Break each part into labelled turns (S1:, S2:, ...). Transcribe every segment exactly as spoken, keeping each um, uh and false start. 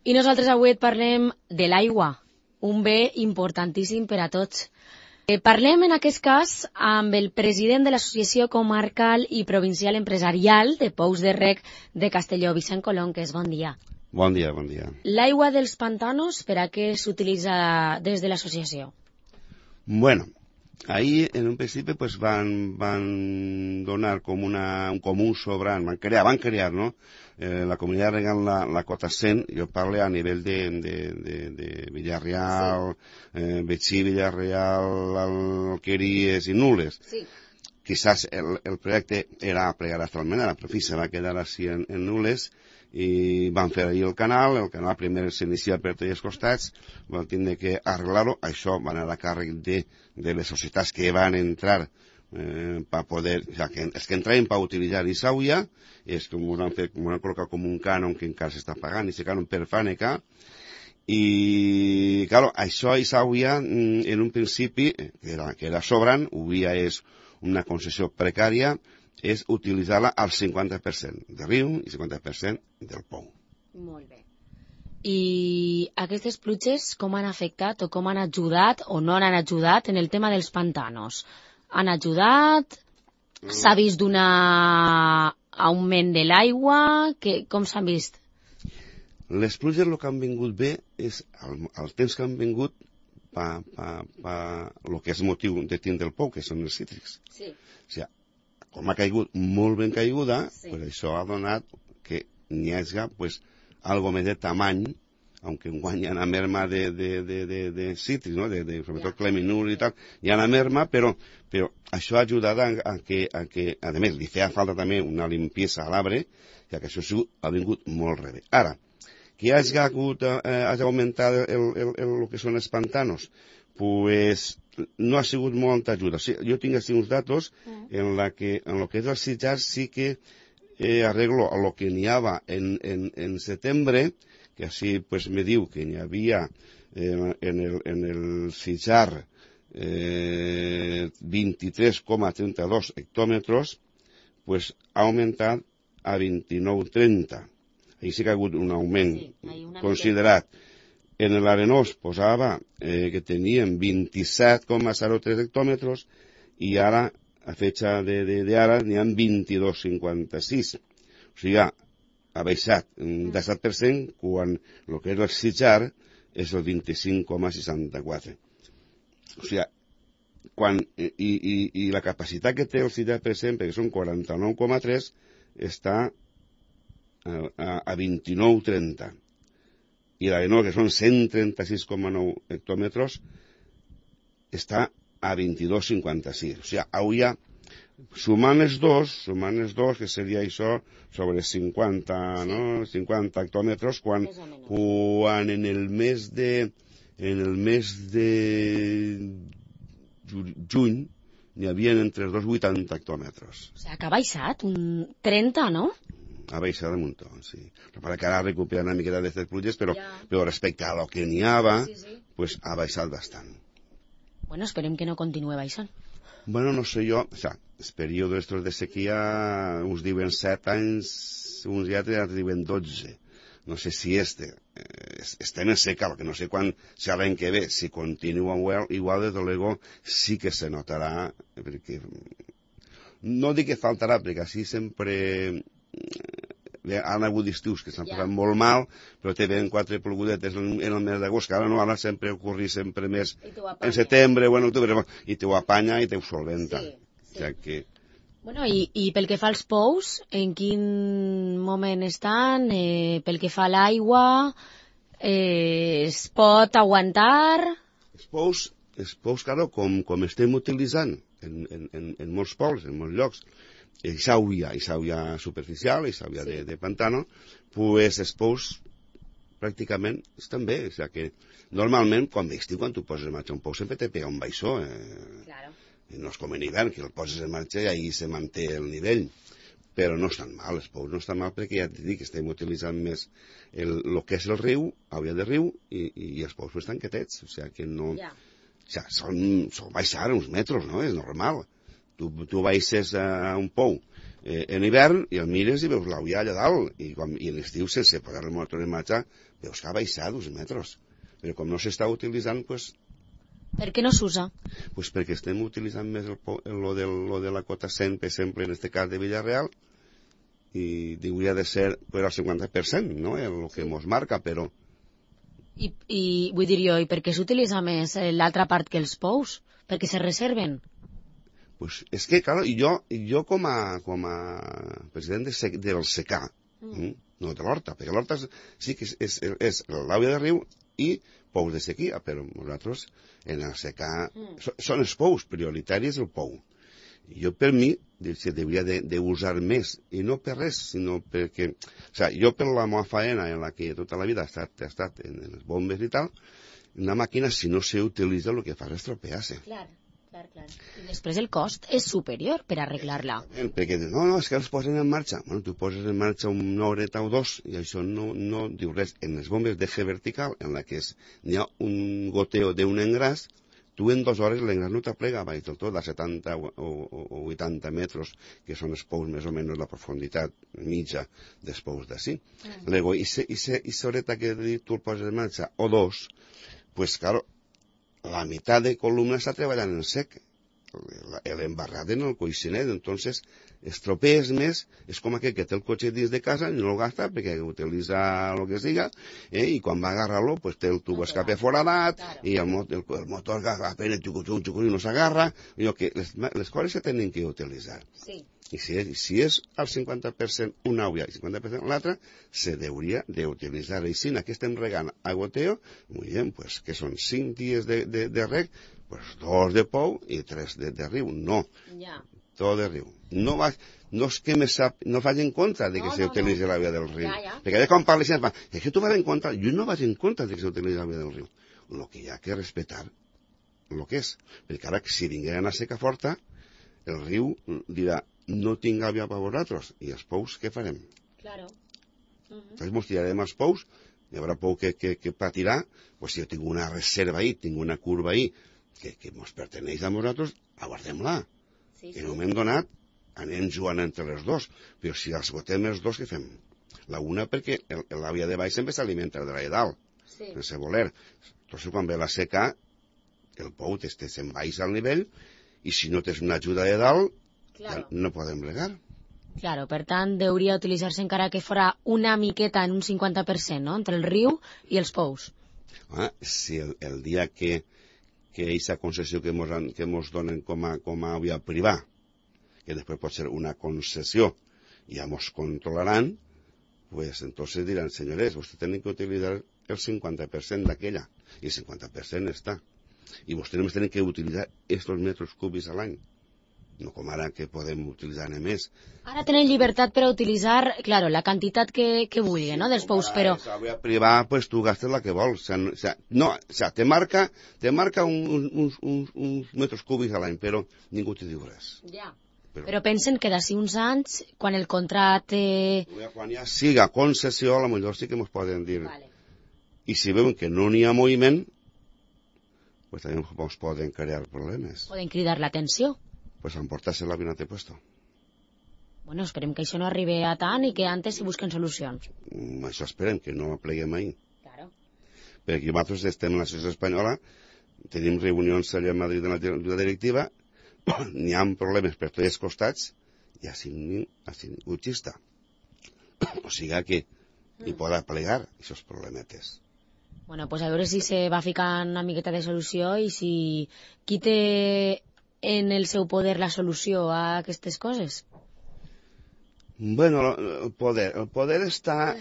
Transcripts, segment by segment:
S1: I nosaltres avui et parlem de l'aigua, un bé importantíssim per a tots. Eh, parlem en aquest cas amb el president de l'Associació Comarcal i Provincial Empresarial de Pous de Rec de Castelló, Vicent Colonques. Bon dia.
S2: Bon dia, bon dia.
S1: L'aigua dels pantanos, per a què s'utilitza des de l'associació?
S2: Bueno, ahí en un principi pues, van, van donar com, una, com un sobrant, van crear, van crear, ¿no? Eh, la comunitat regant la, la cota cent, jo parlo a nivell de, de, de, de Villarreal, sí. eh, Betxí, Villarreal, Alqueries i Nules. Sí. Quizás el, el projecte era plegar hasta Almenara, però fi, se va quedar així en, en Nules, i van fer ahir el canal, el canal primer s'inicia per tots els costats, van tindre que arreglar-ho, això van anar a càrrec de, de les societats que van entrar eh, per poder, o sea, que, els que entraven per utilitzar Isauia, és que m'ho han fet, m'ho han col·locat com un cànon que encara s'està pagant, i se cànon per Fàneca, i, claro, això Isauia, en un principi, que era, que era sobrant, Ubia és una concessió precària, és utilitzar-la al cinquanta per cent de riu i cinquanta per cent del pou.
S1: Molt bé. I aquestes pluges com han afectat o com han ajudat o no han ajudat en el tema dels pantanos? Han ajudat? S'ha vist d'un augment de l'aigua? Com s'han vist?
S2: Les pluges el que han vingut bé és el, el temps que han vingut per pa, pa, el que és motiu de tindre el pou, que són els cítrics. Sí. O sigui, com ha caigut molt ben caiguda, sí. Pues això ha donat que n'hi hagi pues, algo més de tamany, aunque enguany hi ha una merma de, de, de, de, de cítrics, ¿no? de, de, sobretot yeah. Cleminul i tal, hi ha una merma, però, però això ha ajudat a, a, que, a que, a més, li feia falta també una limpiesa a l'arbre, ja que això ha vingut molt rebé. Ara, que hagi hagut, eh, hagi augmentat el, el, el, el que són els pantanos, pues no ha sigut molta ajuda. Sí, jo tinc així uns datos en la que en lo que és el Sitjar sí que eh, arreglo a lo que n'hi havia en, en, en setembre, que així pues, me diu que n'hi havia eh, en el, en el Sitjar eh, vint-i-tres coma trenta-dos hectòmetres, pues ha augmentat a vint-i-nou coma trenta. Ahí sí que ha hagut un augment sí, considerat. Mica. En l'Arenós posava eh, que tenien vint-i-set coma zero tres hectòmetres i ara, a fecha d'ara, n'hi ha vint-i-dos coma cinquanta-sis. O sigui, ha baixat un disset per cent quan el que és el Sitjar és el vint-i-cinc coma seixanta-quatre. O sigui, quan, i, i, i la capacitat que té el Sitjar, per exemple, que són quaranta-nou coma tres, està a, a, a vint-i-nou coma trenta. I l'Arenós, que són cent trenta-sis coma nou hectòmetres, està a vint-i-dos coma cinquanta-sis. O sigui, hauria, sumant els dos, sumant els dos, que seria això, sobre cinquanta, sí. No? cinquanta hectòmetres, quan, quan en el mes de, en el mes de juny n'hi havia entre els dos vuitanta hectòmetres.
S1: O sigui, que ha baixat un trenta, no?
S2: Ha baixat un muntó, sí. Para que ara recupera una miqueta d'aquestes pluges, però, ja. Però respecte a lo que n'hi havia, sí, sí. Pues ha baixat bastant.
S1: Bueno, esperem que no continue baixant.
S2: Bueno, no sé jo, o sea, els períodes estos de sequia, uns diuen set anys, uns i altres diuen dotze. No sé si este, eh, estem en seca, que no sé quan, si l'any que ve, si continua igual, igual, des de luego, sí que se notarà, perquè no dic que faltarà, perquè així sempre han hagut estius que s'han yeah. passat molt mal, però te ven quatre plogudetes en, en el mes d'agost, que ara no, ara sempre ocorri sempre més en setembre o en octubre, i te ho apanya i te ho solventa. Sí, sí. O sea que...
S1: Bueno, i, i pel que fa als pous, en quin moment estan? Eh, pel que fa a l'aigua, eh, es pot aguantar?
S2: Els pous, els pous, claro, com, com estem utilitzant en, en, en, en molts pobles, en molts llocs, Isauia, Isauia superficial, Isauia sí. de, de pantano, pues els pous pràcticament estan bé. O sigui que normalment, quan d'estiu, quan tu poses en marxa un pou, sempre te pega un baixó. Eh? Claro. No és com en hivern, que el poses en marxa i ahí se manté el nivell. Però no estan mal, els pous no estan mal, perquè ja t'he dit que estem utilitzant més el, el que és el riu, Auia de riu, i, i, i els pous estan quietets. O sigui que no... Yeah. O sigui, són, són baixar uns metres, no? És normal. Tu, tu baixes a un pou eh, en hivern i el mires i veus l'Auia allà dalt, i, quan, i en l'estiu sense posar el motor en marxa veus que ha baixat dos metres. Però com no s'està utilitzant, doncs...
S1: Per què no s'usa?
S2: Pues perquè estem utilitzant més el, el, lo, del, lo de la cota cent, per exemple, en este cas de Villarreal, i hauria de ser pues, el cinquanta per cent, no?, el que ens marca, però...
S1: I, i vull dir jo, i per què s'utilitza més l'altra part que els pous? Perquè se reserven?
S2: Pues és que, clar, jo, jo com, a, com a president de sec, del secà, mm. no de l'Horta, perquè l'Horta sí que és, és, és l'àvia de riu i pous de sequia, però nosaltres en el secà mm. so, són els pous, prioritari és el pou. I jo per mi se hauria d'usar més, i no per res, sinó perquè, o sigui, jo per la meva faena en la que tota la vida ha estat, ha estat en les bombes i tal, una màquina si no s'utilitza el que fa és estropear-se.
S1: Clar. Clar, clar. I després el cost és superior per arreglar-la.
S2: Perquè no, no, és que els posen en marxa. Bueno, tu poses en marxa una horeta o dos i això no, no diu res. En les bombes d'eje vertical, en la que n'hi ha un goteo d'un engràs, tu en dues hores l'engràs no t'aplega baix del tot, a setanta o, o, o vuitanta metres, que són els pous més o menys la profunditat mitja dels pous d'ací. Mm. Llavors, i aquesta horeta que tu el poses en marxa, o dos, pues, claro, la meitat de columna està treballant en sec, l'embarrat en el coixinet, entonces estropees més, és com aquell que té el cotxe dins de casa i no el gasta perquè utilitza el que siga, eh, i quan va agarrar-lo pues, té el tubo escape foradat, claro. I el, el, el motor apenas xucuchun, xucuchun, no s'agarra, que les, les coses se tenen que utilitzar. Sí. I si és, si és al cinquanta per cent una àvia i cinquanta per cent l'altra, se hauria d'utilitzar. I si aquí estem regant a goteo, muy bien, pues, que són cinc dies de, de, de reg, pues dos de pou i tres de, de riu. No, ja. Tot de riu. No, va, no és que me sap, no vaig en contra de que no, se utilitzi no, no. l'àvia del riu. Ja, ja. Perquè quan parles, és que tu vas en contra, jo no vaig en contra de que se utilitzi l'àvia del riu. El que hi ha que respetar, el que és. Perquè ara, si vingueren a seca forta, el riu dirà, no tinc àvia per vosaltres. I els pous, què farem? Claro. Uh -huh. Entonces, mos tirarem els pous, hi haurà pou que, que, que patirà, pues si jo tinc una reserva ahí, tinc una curva ahí, que, que mos perteneix a nosaltres, aguardem-la. Sí, sí. En un moment donat, anem jugant entre els dos. Però si els botem els dos, què fem? La una perquè l'àvia de baix sempre s'alimenta de la de dalt, sí. sense voler. Entonces, quan ve la seca, el pou te se'n baixa al nivell, i si no tens una ajuda de dalt, claro. no podem regar.
S1: Claro, per tant, hauria d'utilitzar-se encara que fora una miqueta en un cinquanta per cent, no?, entre el riu i els pous.
S2: Ah, si el, el dia que que aquesta concessió que mos, que mos donen com a, com a àvia privada, que després pot ser una concessió, ja mos controlaran, pues entonces diran, senyores, vostès tenen que utilitzar el cinquanta per cent d'aquella, i el cinquanta per cent està. I vostès només tenen que utilitzar estos metres cúbics a l'any. No com ara que podem utilitzar més.
S1: Ara tenen llibertat per a utilitzar, claro, la quantitat que, que vulgui, sí, no?, dels pous, però...
S2: Si l'àvia privada, pues tu gastes la que vols. O sea, no, o sea, no, o sea, te marca, te marca un, un, un, uns metres cúbics a l'any, però ningú te diu res.
S1: Ja. Però, però pensen que d'ací uns anys, quan el contracte...
S2: Quan ja siga concessió, a lo millor sí que ens poden dir. Vale. I si veuen que no n'hi ha moviment, pues també ens poden crear problemes.
S1: Poden cridar l'atenció.
S2: Pues emportarse la bien a te puesto.
S1: Bueno, esperem que això no arribi a tant i que antes se busquen solucions.
S2: Mm, això esperem, que no pleguem ahir. Claro. Perquè nosaltres estem en la societat espanyola, tenim reunions allà a Madrid en la, la directiva, n'hi ha problemes per tots els costats, i així ningú xista. O sigui que hi podrà plegar aquests problemetes.
S1: Bueno, pues a veure si se va ficant una miqueta de solució i si qui té en el seu poder la solució a aquestes coses?
S2: Bueno, el poder, el poder està...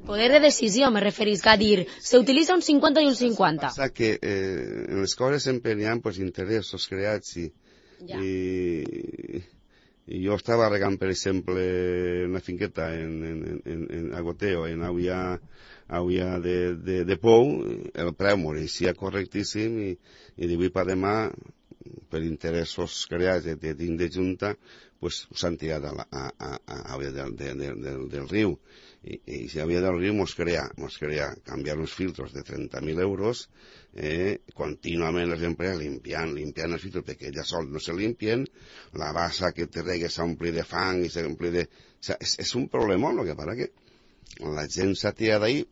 S1: Poder de decisió, me referís a dir, s'utilitza un cinquanta i un cinquanta.
S2: Passa que eh, en les coses sempre hi ha pues, interessos creats i, ja. i, i jo estava regant, per exemple, una finqueta en, en, en, en Agoteo, en Auia, Auia de, de, de Pou, el preu m'oreixia correctíssim i, i d'avui per demà, per interessos creats de, de, de Junta, pues, s'han tirat a, la, a, a, a Auia del, de, de, del, del riu. I, i si Auia del riu mos crea, mos crea canviar uns filtros de trenta mil euros, eh, contínuament les empreses limpiant, limpiant els filtros, perquè ja sols no se limpien, la bassa que te regue s'ompli de fang i s'ompli de... O sea, és, és un problema, el que passa que la gent s'ha tirat d'ahir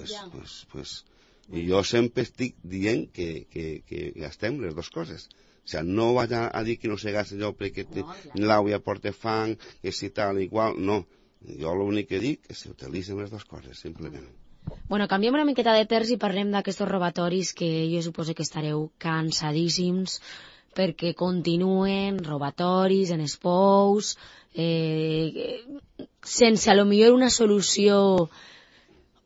S2: pues,
S1: ja.
S2: pues, pues, i jo sempre estic dient que, que, que gastem les dues coses. O sea, no vaig a, a dir que no se gasta allò perquè no, l'àvia porta fang, que si tal, igual, no. Jo l'únic que dic és que s'utilitzen les dues coses, simplement.
S1: Bueno, canviem una miqueta de terç i parlem d'aquests robatoris que jo suposo que estareu cansadíssims perquè continuen robatoris en els pous, eh, sense a lo millor una solució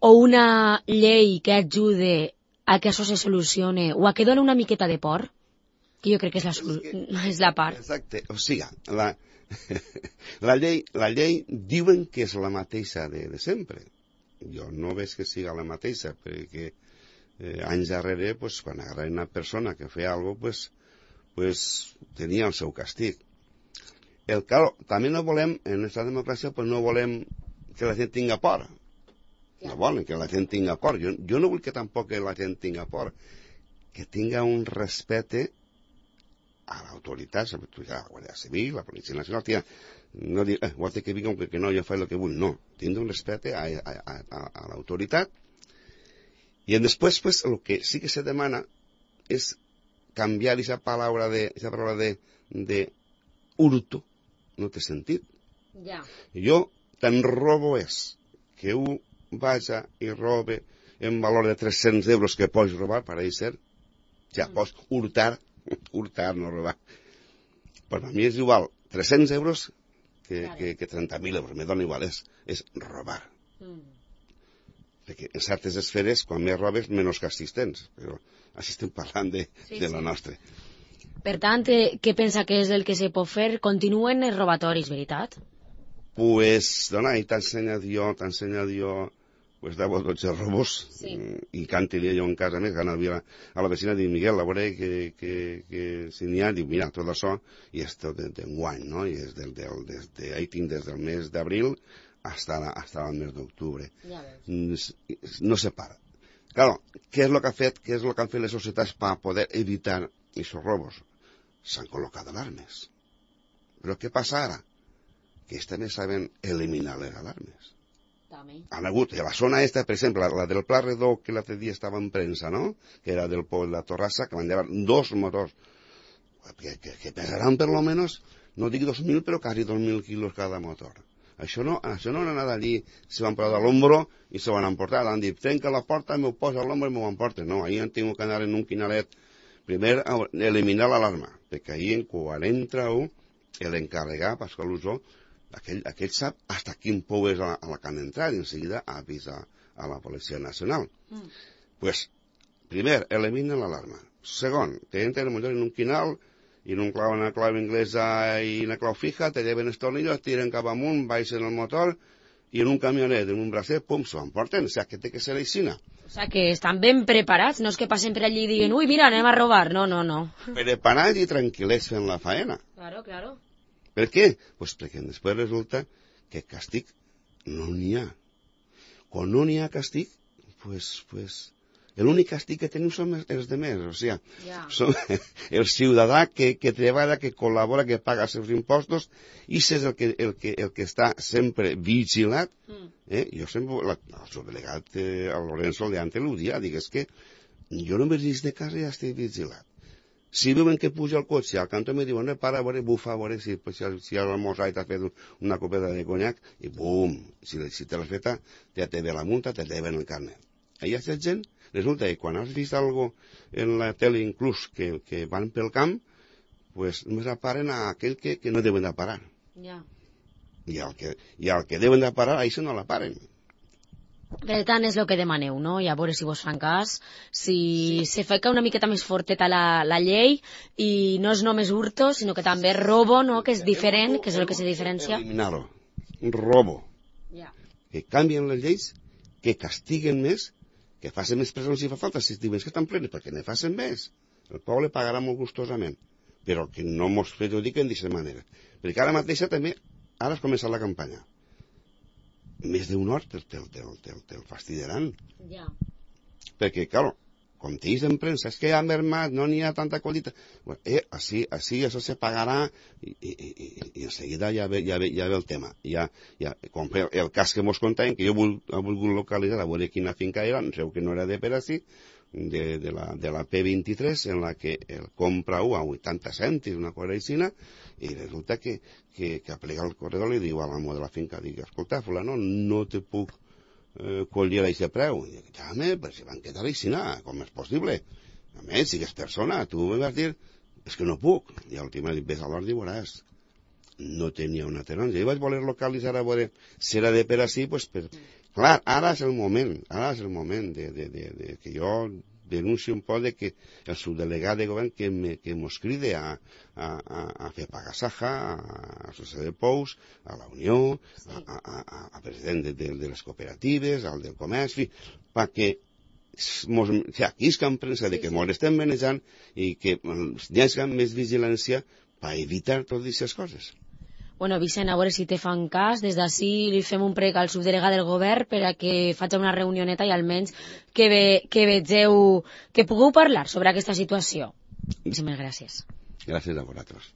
S1: o una llei que ajude a que això se solucione o a que doni una miqueta de por, que jo crec que és la, solu... és, que, és la part.
S2: Exacte, o sigui, la, la, llei, la llei diuen que és la mateixa de, de sempre. Jo no veig que siga la mateixa, perquè eh, anys darrere, pues, quan agarraven una persona que feia alguna cosa, pues, pues, tenia el seu castig. El claro, també no volem, en aquesta democràcia, pues, no volem que la gent tinga por. No volen que la gent tinga por. Jo, jo no vull que tampoc que la gent tinga por. Que tinga un respecte a l'autoritat, sobretot a la Guàrdia Civil, la Policia Nacional, tia, no dir, eh, vol dir que vinga que no, jo faig el que vull, no. Tindre un respecte a, a, a, a, a l'autoritat. I després, pues, el que sí que se demana és canviar aquesta paraula de, esa paraula de, de hurto, no té sentit.
S1: Ja.
S2: Jo tan robo és que un vaja i robe en valor de tres-cents euros que pots robar, per a ser, ja pots hurtar, hurtar, no robar. Per a mi és igual tres-cents euros que, que, que trenta mil euros, me dona igual, és, és robar. Mm. Perquè en certes esferes, quan més robes, menys castigs tens, però així estem parlant de, sí, de la sí. nostra.
S1: Per tant, què pensa que és el que se pot fer? Continuen els robatoris, veritat?
S2: Pues, dona, i t'ha ensenyat jo, t'ha ensenyat jo, pues deu o dotze robos, sí. I canti-li jo en casa més, que anava a la vecina, dic, Miguel, a veure que, que, que si n'hi ha, dic, mira, tot això, i és tot d'enguany, no? I és del, del, des de, ahí tinc des del mes d'abril hasta, la, hasta el mes d'octubre. Ja no se para. Claro, què és el que ha fet, què és el que han fet les societats per poder evitar aquests robos? S'han col·locat alarmes. Però què passa ara? Que ells també saben eliminar les alarmes. També. Han hagut, a la zona esta, per exemple, la, la del Pla Redó, que l'altre dia estava en premsa, no?, que era del poble de la Torrassa, que van llevar dos motors, que, que, que pesaran per lo menos, no dic dos mil, però quasi dos mil quilos cada motor. Això no, això no han anat allí, se van posar a l'ombro i se van emportar. Han dit, trenca la porta, m'ho posa a l'ombro i m'ho emporten. No, ahir han tingut que anar en un quinalet, primer eliminar l'alarma, perquè ahir, quan entra un, l'encarregar, Pasqual Usó, aquell, aquell sap hasta quin pou és a la, a la que han entrat i en seguida avisa a la Policia Nacional. Mm. Pues, primer, elimina l'alarma. Segon, te entren en un quinal i en un clau, una clau inglesa i una clau fija, te lleven els tornillos, tiren cap amunt, baixen el motor i en un camionet, en un bracet, pum, s'ho emporten. O sigui, que té que ser aixina.
S1: O sigui, que estan ben preparats, no és que passen per allí i diguin, ui, mira, anem a robar. No, no, no.
S2: Preparats i tranquil·lets fent la faena.
S1: Claro, claro.
S2: Per què? Pues perquè després resulta que castigo no n'hi ha. Quan no n'hi ha castigo, pues, pues, l'únic castig que tenim són els demés, o sigui, yeah. Som el ciutadà que, que treballa, que col·labora, que paga els seus impostos, i és el que, el que, el que està sempre vigilat. Mm. Eh? Jo sempre, la, el seu delegat, eh, el Lorenzo Leante, l'ho dia, dic, és que jo no m'he de casa i ja estic vigilat. Si veuen que puja el cotxe al cantó, me diuen, eh, para, a veure, bufa, a veure, si, pues, si, si has almorzat i t'has fet una copeta de conyac, i bum, si, si te l'has feta, ja te ve la multa, te lleven el carnet. Hi ha aquesta gent, resulta que quan has vist algo en la tele inclús que, que van pel camp, pues només aparen a aquell que, que no deuen de parar. Ja. I el que, i el que deuen de parar, això no la paren.
S1: Per tant, és el que demaneu, no? I a veure si vos fan cas, si sí. Se fa una miqueta més forteta la, la llei i no és només hurto, sinó que també robo, no? Que és diferent, que és el que se diferencia.
S2: Eliminar-ho. Robo. Ja. Que canvien les lleis, que castiguen més, que facin més presons si fa falta, si diuen que estan plenes, perquè ne facin més. El poble pagarà molt gustosament, però que no mos perjudiquen d'aquesta manera. Perquè ara mateixa també, ara has començat la campanya. Més d'un hort te'l te, te, te, te fastidiaran. Ja. Perquè, clar, com t'ells en premsa, és que ha mermat, no n'hi ha tanta qualitat. Bueno, eh, així, així això se pagarà i, i, i, i en seguida ja ve, ja ve, ja ve el tema. Ja, ja, com el, el cas que mos contaven, que jo vol, he volgut localitzar, a veure quina finca era, no sé que no era de per així, de, de, la, de la P vint-i-tres, en la que el compra a vuitanta cèntims, una cosa així, i resulta que, que, que aplega el corredor i li diu a l'amo de la finca, dic, escolta, fulano, no te puc eh, collir a aquest preu. I dic, jame, però si van quedar així, com és possible? A més, si és persona, tu me vas dir, és que no puc. I al últim dic, ves a l'hora i veuràs. No tenia una taronja. Jo vaig voler localitzar a veure si era de per així, doncs per... Clar, ara és el moment, ara és el moment de, de, de, de que jo denuncio un poc de que el subdelegat de govern que, me, que mos cride a, a, a, a fer pagar Saja, a, a Associació de Pous, a la Unió, a, a, a, a president de, de, de les cooperatives, al del comerç, perquè mos, o sigui, aquí és que en premsa de que mos estem manejant i que hi hagi més vigilància per evitar totes aquestes coses.
S1: Bueno, Vicent, a veure si te fan cas. Des d'ací li fem un prec al subdelegat del govern per a que faci una reunioneta i almenys que, ve, que vegeu, que pugueu parlar sobre aquesta situació. Moltíssimes gràcies.
S2: Gràcies a vosaltres.